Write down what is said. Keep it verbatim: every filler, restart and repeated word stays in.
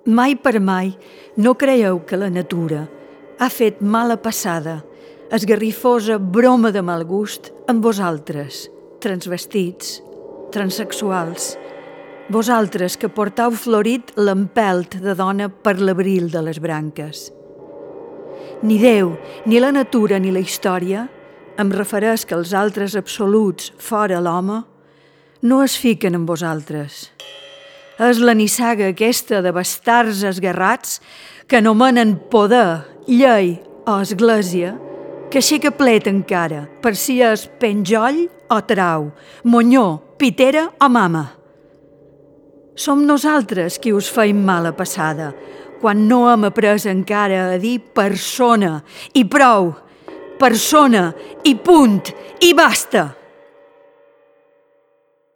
Mai per mai no creieu que la natura ha fet mala passada, esgarrifosa broma de mal gust amb vosaltres, transvestits, transexuals, vosaltres que portau florit l'empelt de dona per l'abril de les branques. Ni Déu, ni la natura, ni la història, em refereix que els altres absoluts fora l'home, no es fiquen en vosaltres. És la nissaga aquesta de bastards esguerrats que anomenen poder, llei o església, que aixeca plet encara per si és penjoll o trau, monyó, pitera o mama. Som nosaltres qui us feim mala passada, quan no hem après encara a dir persona i prou, persona i punt i basta.